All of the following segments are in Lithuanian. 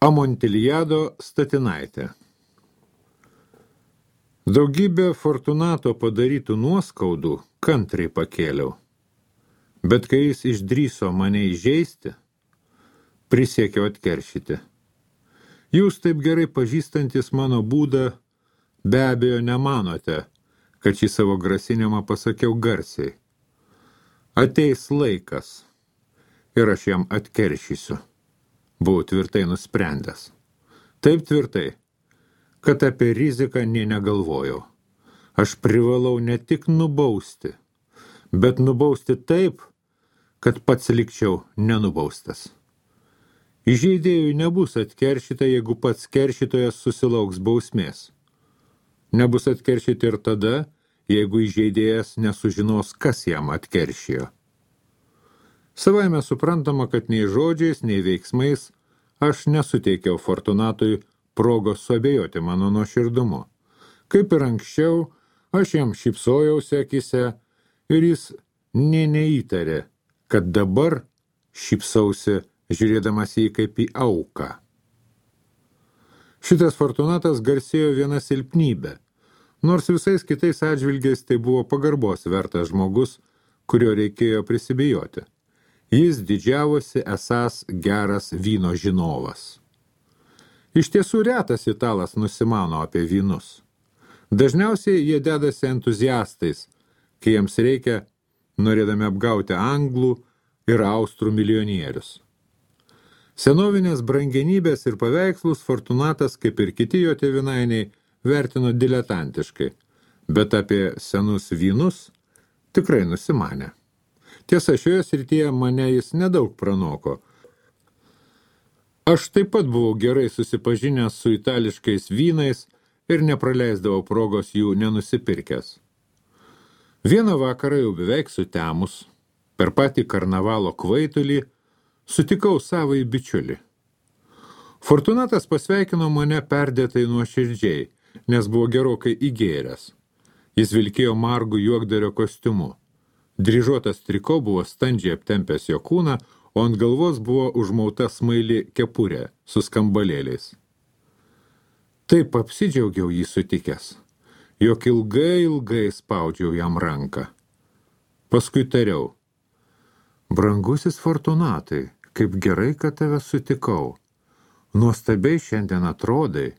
Amontiliado statinaitė. Daugybę Fortunato padarytų nuoskaudų kantriai pakėliau, bet kai jis išdrįso mane įžeisti, prisiekiau atkeršyti. Jūs taip gerai pažįstantis mano būdą, be abejo nemanote, kad šį savo grasinimą pasakiau garsiai. Ateis laikas ir aš jam atkeršysiu. Buvau tvirtai nusprendęs. Taip tvirtai, kad apie riziką nė negalvojau. Aš privalau ne tik nubausti, bet nubausti taip, kad pats likčiau nenubaustas. Įžeidėjui nebus atkeršyta, jeigu pats keršytojas susilauks bausmės. Nebus atkeršyti ir tada, jeigu įžeidėjas nesužinos, kas jam atkeršijo. Savaime suprantama, kad nei žodžiais, nei veiksmais aš nesuteikiau Fortunatui progos suabejoti mano nuoširdumu. Kaip ir anksčiau, aš jam šypsojausi akyse ir jis nė neįtarė, kad dabar šypsausi žiūrėdamas jį kaip į auką. Šitas Fortunatas garsėjo viena silpnybė, nors visais kitais atžvilgiais tai buvo pagarbos vertas žmogus, kurio reikėjo prisibijoti. Jis didžiavosi esąs geras vyno žinovas. Iš tiesų retas italas nusimano apie vynus. Dažniausiai jie dedasi entuziastais, kai jiems reikia, norėdami apgauti anglų ir austrų milijonierius. Senovinės brangenybės ir paveikslus Fortunatas, kaip ir kiti jo tėvynainiai, vertino diletantiškai, bet apie senus vynus tikrai nusimanė. Tiesa, šioje srityje mane jis nedaug pranoko. Aš taip pat buvau gerai susipažinęs su itališkais vynais ir nepraleisdavau progos jų nenusipirkęs. Vieną vakarą jau beveik sutemus, per patį karnavalo kvaitulį, sutikau savąjį bičiulį. Fortunatas pasveikino mane perdėtai nuoširdžiai, nes buvo gerokai įgėręs. Jis vilkėjo margų juokdario kostiumu. Dryžuotas triko buvo standžiai aptempęs jo kūną, o ant galvos buvo užmauta smaili kepurė su skambalėliais. Taip apsidžiaugiau jį sutikęs, jog ilgai spaudžiau jam ranką. Paskui tariau: brangusis Fortunatai, kaip gerai, kad tave sutikau. Nuostabiai šiandien atrodai.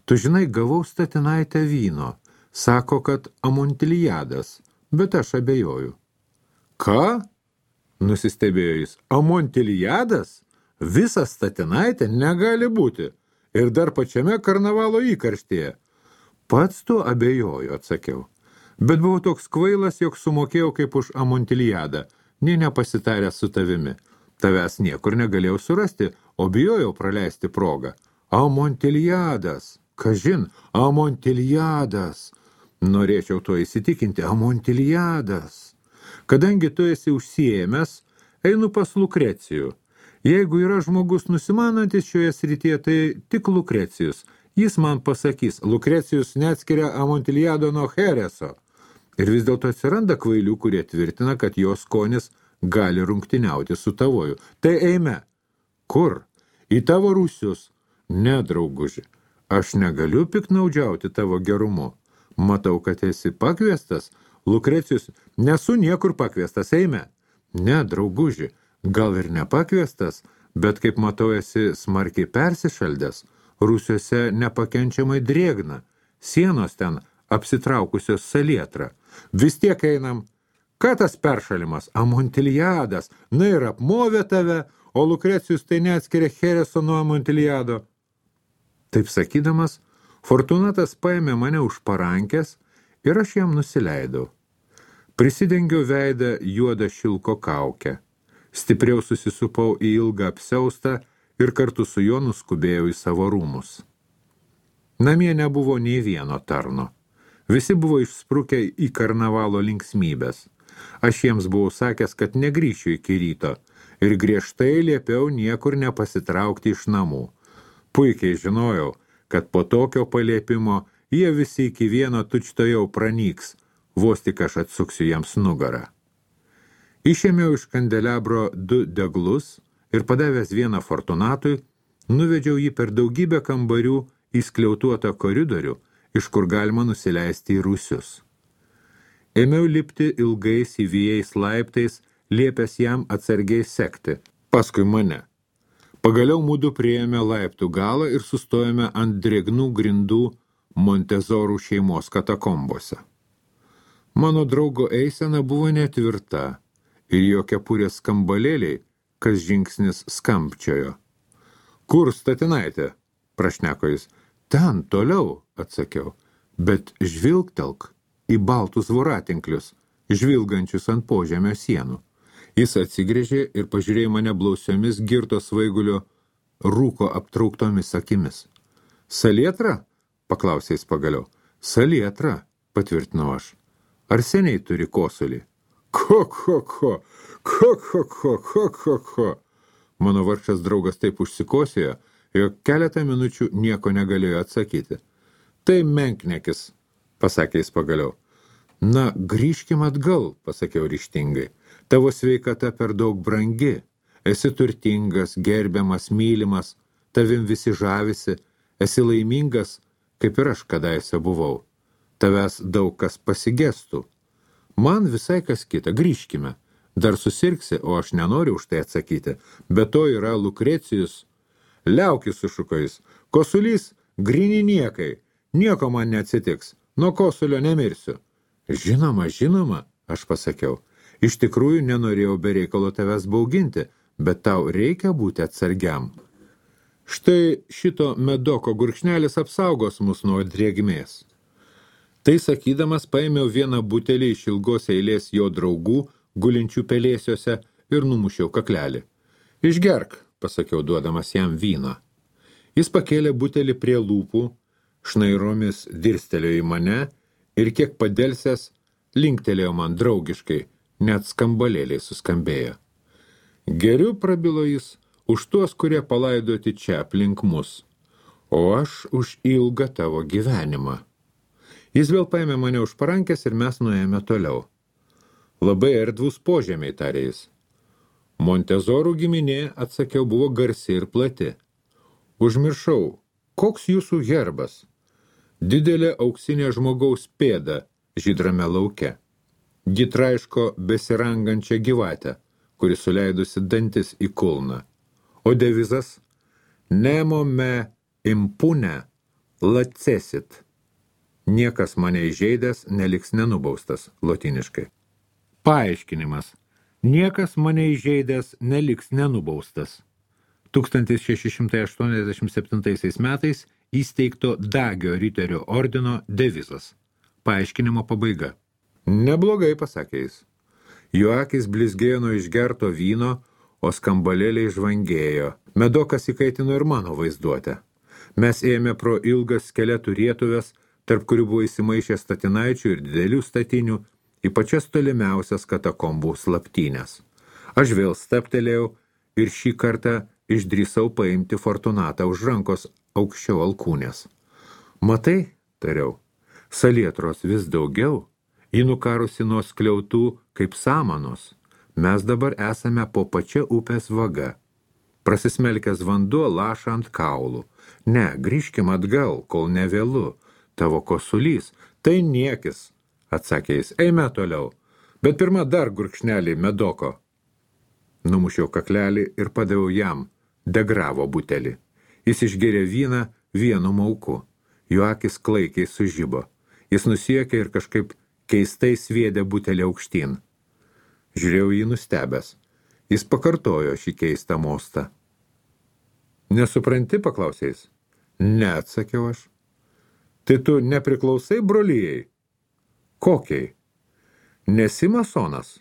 Tu žinai, gavau statinaitę vyno. Sako, kad Amontiliadas, bet aš abejoju. Ką? Nusistebėjo jis. Amontiliadas? Visas statinaitė negali būti. Ir dar pačiame karnavalo įkarštėje. Pats tu abejoju, atsakiau. Bet buvau toks kvailas, jog sumokėjau kaip už Amontiliadą, nė nepasitaręs su tavimi. Tavęs niekur negalėjau surasti, o bijojau praleisti progą. Amontiliadas. Kažin, Amontiliadas. Norėčiau to įsitikinti, Amontiliadas. Kadangi tu esi užsiėmęs, einu pas Lukrecijų. Jeigu yra žmogus nusimanantis šioje srityje, tai tik Lukrecijus. Jis man pasakys, Lukrecijus neatskiria Amontiliado nuo Chereso. Ir vis dėlto atsiranda kvailių, kurie tvirtina, kad jo skonis gali rungtyniauti su tavoju. Tai eime. Kur? Į tavo rūsius? Ne, drauguži. Aš negaliu piknaudžiauti tavo gerumu. Matau, kad esi pakviestas. Lukrecijus, nesu niekur pakviestas, eime. Ne, drauguži, gal ir nepakviestas, bet kaip matau, esi smarkiai persišaldęs. Rūsiuose nepakenčiamai drėgna. Sienos ten apsitraukusios salietra. Vis tiek einam. Ką tas peršalimas? Amontiliadas. Na ir apmovė tave, o Lukrecijus tai neatskiria Chereso nuo Amontiliado. Taip sakydamas, Fortunatas paėmė mane už parankės ir aš jam nusileidau. Prisidengiau veidą juodą šilko kaukę. Stipriau susisupau į ilgą apsiaustą ir kartu su juo nuskubėjau į savo rūmus. Namie nebuvo nei vieno tarno. Visi buvo išsprukę į karnavalo linksmybės. Aš jiems buvau sakęs, kad negrįšiu iki ryto ir griežtai liepiau niekur nepasitraukti iš namų. Puikiai žinojau, kad po tokio paliepimo jie visi iki vieno tučtojau pranyks, vos tik aš atsuksiu jiems nugarą. Išėmiau iš kandelabro 2 deglus ir padavęs vieną Fortunatui, Nuvedžiau jį per daugybę kambarių į skliautuotą koridorių, iš kur galima nusileisti į rūsius. Ėmiau lipti ilgais įvijais laiptais, liepęs jam atsargiai sekti, paskui mane. Pagaliau mudu priėjome laiptų galą ir sustojome ant drėgnų grindų Montezorų šeimos katakombose. Mano draugo eisena buvo netvirta ir jo kepurės skambalėliai, kas žingsnis skambčiojo. Kur statinaitė? Prašneko jis. Ten, toliau, atsakiau, bet žvilgtelk į baltus voratinklius, žvilgančius ant požemio sienų. Jis atsigrėžė ir pažiūrėjo mane blausiomis girto svaigulio rūko aptrauktomis akimis. Salietra? Paklausė jis pagaliau. Salietra, patvirtinau aš. Ar seniai turi kosulį? Ko. Mano vargšas draugas taip užsikosėjo, jog keletą minučių nieko negalėjo atsakyti. Tai menknekis, pasakė jis pagaliau. Na, grįžkim atgal, pasakiau ryžtingai. Tavo sveikata per daug brangi. Esi turtingas, gerbiamas, mylimas, tavim visi žavisi, esi laimingas, kaip ir aš kadaise buvau. Tavęs daug kas pasigestų. Man visai kas kita, grįžkime. Dar susirgsi, o aš nenoriu už tai atsakyti. Be to yra Lukrecijus. Liaukis, sušuko jis. Kosulys, gryni niekai. Nieko man neatsitiks. Nuo kosulio nemirsiu. Žinoma, aš pasakiau. Iš tikrųjų nenorėjau be reikalo tavęs bauginti, bet tau reikia būti atsargiam. Štai šito medoko gurkšnelis apsaugos mus nuo drėgmės. Tai sakydamas paėmiau vieną butelį iš ilgos eilės jo draugų, gulinčių pelėsiuose, ir numušiau kaklelį. Išgerk, pasakiau, duodamas jam vyno. Jis pakėlė butelį prie lūpų, šnairomis dirstelėjo į mane ir kiek padelsęs linktelėjo man draugiškai, net skambalėliai suskambėjo. Geriu, prabilo jis, už tuos, kurie palaidoti čia aplink mus, o aš už ilgą tavo gyvenimą. Jis vėl paėmė mane už parankės ir mes nuėjome toliau. Labai erdvus požemiai, tarė jis. Montezorų giminė, atsakiau, buvo garsi ir plati. Užmiršau, koks jūsų herbas? Didelė auksinė žmogaus pėda žydrame lauke. Ji traiško besirangančią gyvatę, kuri suleidusi dantis į kulną. O devizas? Nemo me impune lacesit. Niekas mane įžeidęs neliks nenubaustas, lotiniškai. Paaiškinimas. Niekas mane įžeidęs neliks nenubaustas. 1687 metais įsteigto Dagio riterio ordino devizas. Paaiškinimo pabaiga. Neblogai, pasakė jis. Jo akis blizgėjo nuo išgerto vyno, o skambalėliai žvangėjo. Medokas įkaitino ir mano vaizduotę. Mes ėjome pro ilgas skeletų rietuvės, tarp kurių buvo įsimaišę statinaičių ir didelių statinių, į pačias tolimiausias katakombų slaptynės. Aš vėl staptelėjau ir šį kartą išdrįsau paimti Fortunatą už rankos aukščiau alkūnės. Matai, tariau, salietros vis daugiau, ji nukarusi nuo skliautų kaip samanos. Mes dabar esame po pačia upės vaga. Prasismelkęs vanduo laša ant kaulų. Ne, grįžkim atgal, kol nevėlu. Tavo kosulys, tai niekis, atsakė jis, eime toliau, bet pirma dar gurkšnelį medoko. Numušiau kaklelį ir padaviau jam, degravo butelį. Jis išgėrė vyną vienu mauku, jo akis klaikiai sužibo. Jis nusiekė ir kažkaip keistai sviedė butelį aukštyn. Žiūrėjau jį nustebęs. Jis pakartojo šį keistą mostą. Nesupranti, paklausė jis? Ne, atsakiau aš. Tai tu nepriklausai brolijai? Kokiai? Nesi masonas?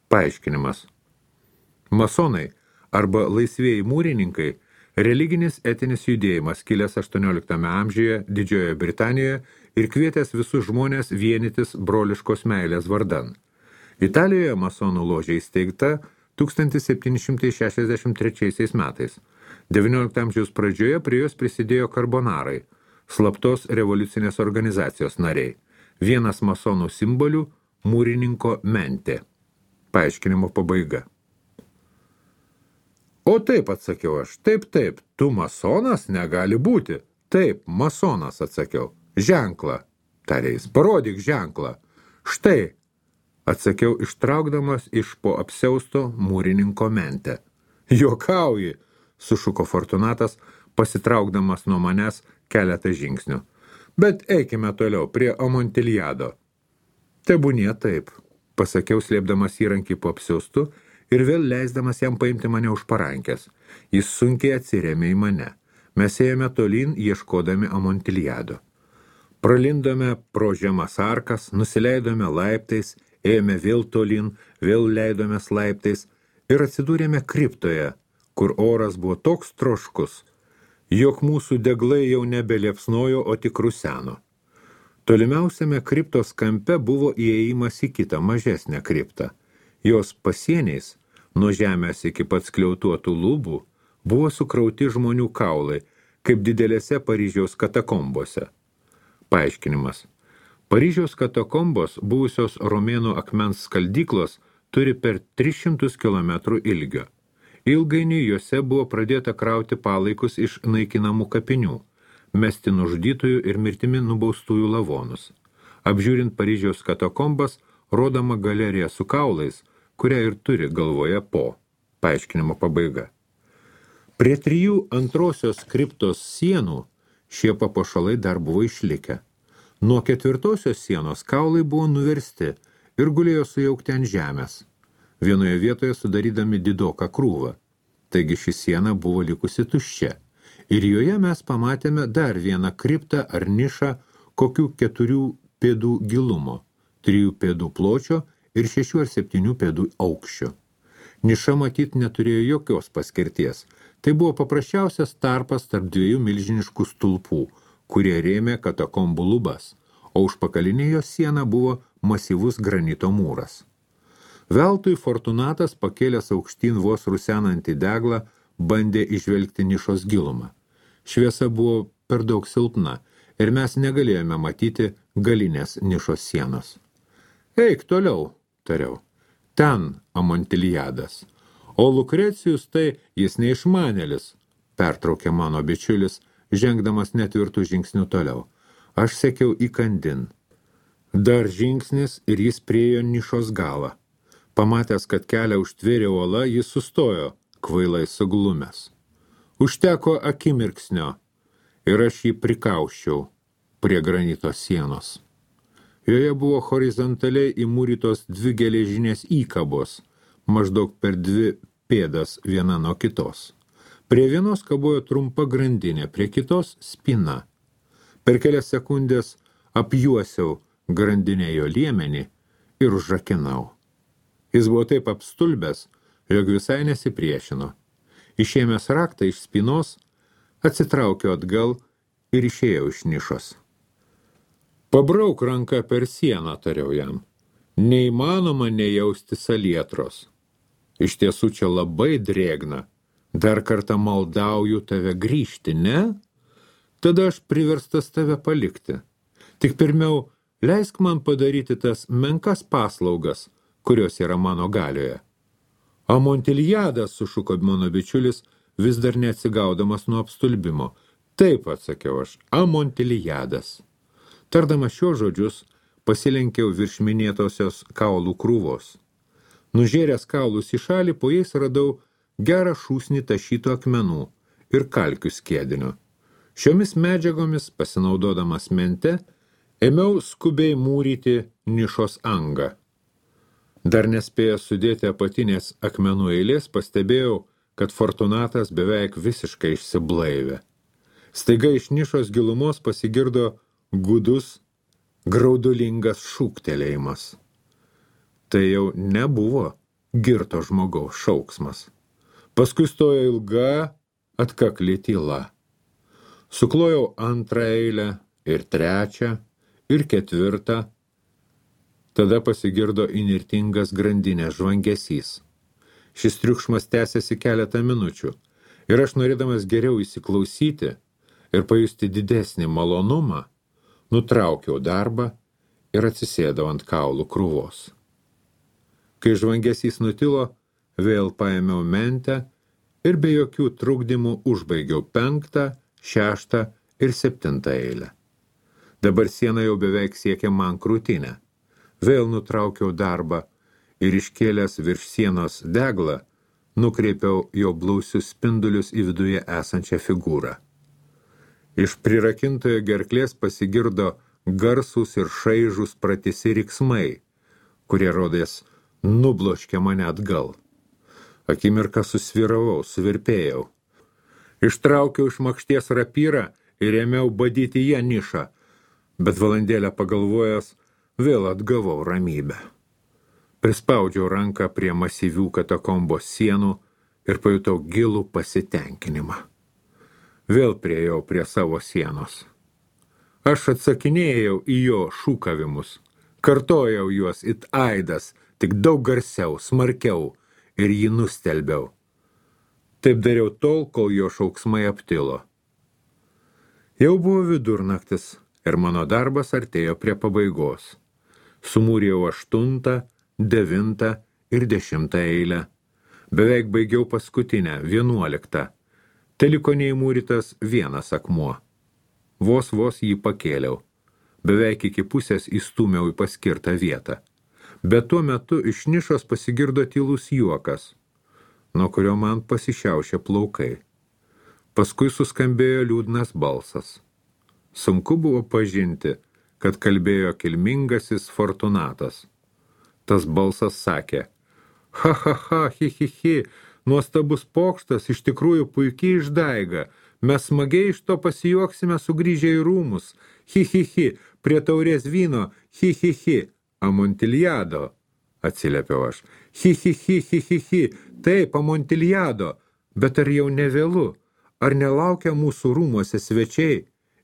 Paaiškinimas. Masonai arba laisvieji mūrininkai religinis etinis judėjimas kilęs 18 amžiuje Didžiojoje Britanijoje ir kvietęs visus žmonės vienytis broliškos meilės vardan. Italijoje masonų ložė įsteigta 1763 metais. 19 amžiaus pradžioje prie jos prisidėjo karbonarai, slaptos revoliucinės organizacijos nariai. Vienas masonų simbolių – – mūrininko mentė. Paaiškinimo pabaiga. O taip, atsakiau aš, taip, tu masonas negali būti. Taip, masonas, atsakiau. Ženklą, tarė jis, parodyk ženklą. Štai, atsakiau, ištraukdamas iš po apsiausto mūrininko mentę. Juokauji, sušuko Fortunatas, pasitraukdamas nuo manęs keletą žingsnių. Bet eikime toliau, prie Amontiliado. Tebūnie taip, pasakiau, slėpdamas įrankį po apsiaustu ir vėl leisdamas jam paimti mane už parankės. Jis sunkiai atsirėmė į mane. Mes ėjome tolyn, ieškodami Amontiliado. Pralindome pro žemas arkas, nusileidome laiptais, ėjome vėl tolyn, vėl leidomės laiptais ir atsidūrėme kriptoje, kur oras buvo toks troškus, jog mūsų deglai jau nebeliepsnojo, o tik ruseno. Tolimiausiame kriptos kampe buvo įėjimas į kitą mažesnę kriptą. Jos pasieniais, nuo žemės iki pat skliautuotų lubų, buvo sukrauti žmonių kaulai, kaip didelėse Paryžiaus katakombose. Paaiškinimas. Paryžiaus katakombos, buvusios romėnų akmens skaldyklos, turi per 300 km ilgio. Ilgainiui juose buvo pradėta krauti palaikus iš naikinamų kapinių, mesti nužudytųjų ir mirtimi nubaustųjų lavonus. Apžiūrint Paryžiaus katakombas, rodoma galerija su kaulais, kurią ir turi galvoje po. Paaiškinimo pabaiga. Prie 3 antrosios kriptos sienų šie papuošalai dar buvo išlikę. Nuo 4 sienos kaulai buvo nuversti ir gulėjo sujaukti ant žemės, vienoje vietoje sudarydami didoką krūvą. Taigi ši siena buvo likusi tuščia. Ir joje mes pamatėme dar vieną kriptą ar nišą kokių 4 pėdų gilumo, 3 pėdų pločio ir 6 ar 7 pėdų aukščio. Niša matyt neturėjo jokios paskirties. Tai buvo paprasčiausias tarpas tarp 2 milžiniškų stulpų, kurie rėmė katakombų lubas, o užpakalinė jos siena buvo masyvus granito mūras. Veltui Fortunatas, pakėlęs aukštyn vos rusenantį deglą, bandė išvelgti nišos gilumą. Šviesa buvo per daug silpna ir mes negalėjome matyti galinės nišos sienos. Eik toliau, tariau. Ten Amontiliadas. O Lukrecijus tai jis neišmanėlis, pertraukė mano bičiulis, žengdamas netvirtų žingsnių toliau. Aš sekiau įkandin. Dar žingsnis ir jis priejo nišos galą. Pamatęs, kad kelią užtvėrė uola, jis sustojo, kvailai suglumęs. Užteko akimirksnio ir aš jį prikauščiau prie granito sienos. Joje buvo horizontaliai įmūrytos 2 geležinės įkabos, maždaug per 2 pėdas viena nuo kitos. Prie vienos kabojo trumpa grandinė, prie kitos spina. Per kelias sekundės apjuosiau grandinėjo liemenį ir užrakinau. Jis buvo taip apstulbęs, jog visai nesipriešino. Išėmęs raktą iš spinos, atsitraukiau atgal ir išėjau iš nišos. Pabrauk ranką per sieną, tariau jam. Neįmanoma nejausti salietros. Iš tiesų čia labai drėgna. Dar kartą maldauju tave grįžti, ne? Tada aš priverstas tave palikti. Tik pirmiau, leisk man padaryti tas menkas paslaugas, kurios yra mano galioje. Amontiliadas, sušuko mano bičiulis, vis dar neatsigaudamas nuo apstulbimo. Taip, atsakiau aš, Amontiliadas. Tardamas šios žodžius, pasilenkiau virš minėtosios kaulų krūvos. Nužėręs kaulus į šalį, po jais radau gerą šūsnį tašytų akmenų ir kalkių skiedinio. Šiomis medžiagomis, pasinaudodamas mente, ėmiau skubiai mūryti nišos angą. Dar nespėjęs sudėti apatinės akmenų eilės, pastebėjau, kad Fortunatas beveik visiškai išsiblaivė. Staiga iš nišos gilumos pasigirdo gudus, graudulingas šūktelėjimas. Tai jau nebuvo girto žmogaus šauksmas. Paskui stojo ilga, atkakli tyla. Suklojau 2 eilę ir 3 ir 4. Tada pasigirdo įnirtingas grandinės žvangesys. Šis triukšmas tęsėsi keletą minučių ir aš, norėdamas geriau įsiklausyti ir pajusti didesnį malonumą, nutraukiau darbą ir atsisėdau ant kaulų krūvos. Kai žvangesys nutilo, vėl paėmiau mentę ir be jokių trukdymų užbaigiau 5., 6. ir 7. eilę. Dabar siena jau beveik siekė man krūtinę. Vėl nutraukiau darbą ir iškėlęs virš sienos deglą, nukreipiau jo blausius spindulius į viduje esančią figūrą. Iš prirakintojo gerklės pasigirdo garsūs ir šaižūs pratisi riksmai, kurie rodės nubloškė mane atgal. Akimirką susviravau, suvirpėjau. Ištraukiau iš makšties rapyrą ir ėmiau badyti ją nišą, bet valandėlę pagalvojęs vėl atgavau ramybę. Prispaudžiau ranką prie masyvių katakombos sienų ir pajutau gilų pasitenkinimą. Vėl priėjau prie savo sienos. Aš atsakinėjau į jo šūkavimus, kartojau juos it aidas, tik daug garsiau, smarkiau ir jį nustelbiau. Taip dariau tol, kol jo šauksmai aptilo. Jau buvo vidurnaktis ir mano darbas artėjo prie pabaigos. Sumūrijau 8., 9. ir 10. eilę. Beveik baigiau paskutinę, 11. Teliko neįmūrytas vienas akmuo. Vos jį pakėliau. Beveik iki pusės įstūmiau į paskirtą vietą. Bet tuo metu iš nišos pasigirdo tylus juokas, nuo kurio man pasišiaušė plaukai. Paskui suskambėjo liūdnas balsas. Sunku buvo pažinti, kad kalbėjo kilmingasis Fortunatas. Tas balsas sakė: ha, hi, nuostabus pokštas, iš tikrųjų puikiai išdaiga, mes smagiai iš to pasijuoksime sugrįžę į rūmus, hi, prie taurės vyno, hi, Amontiliado, atsiliepiau aš. Hi, taip, Amontiliado, bet ar jau nevėlu, ar nelaukia mūsų rūmuose svečiai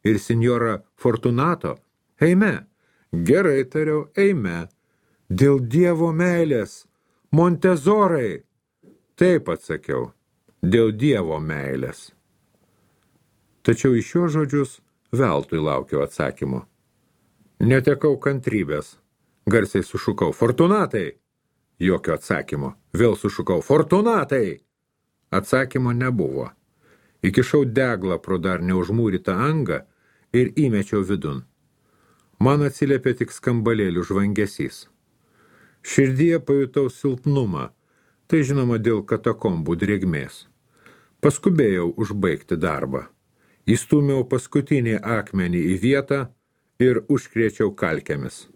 ir senjora Fortunato? Eime, gerai tariau, eime. Dėl Dievo meilės, Montezorai. Taip atsakiau, dėl Dievo meilės. Tačiau iš šios žodžius veltui laukiau atsakymo. Netekau kantrybės. Garsiai sušukau: Fortunatai! Jokio atsakymo. Vėl sušukau: Fortunatai! Atsakymo nebuvo. Įkišau deglą pro dar neužmūrytą angą ir įmečiau vidun. Man atsiliepė tik skambalėlių žvangesys. Širdyje pajutau silpnumą, tai žinoma dėl katakombų drėgmės. Paskubėjau užbaigti darbą. Įstūmiau paskutinį akmenį į vietą ir užkrėčiau kalkėmis.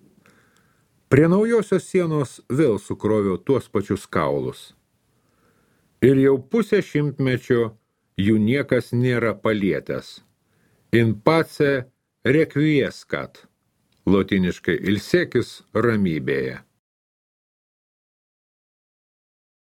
Prie naujosios sienos vėl sukroviau tuos pačius kaulus. Ir jau pusę šimtmečio jų niekas nėra palietęs. In pace requiescat, lotiniškai ilsėkis ramybėje.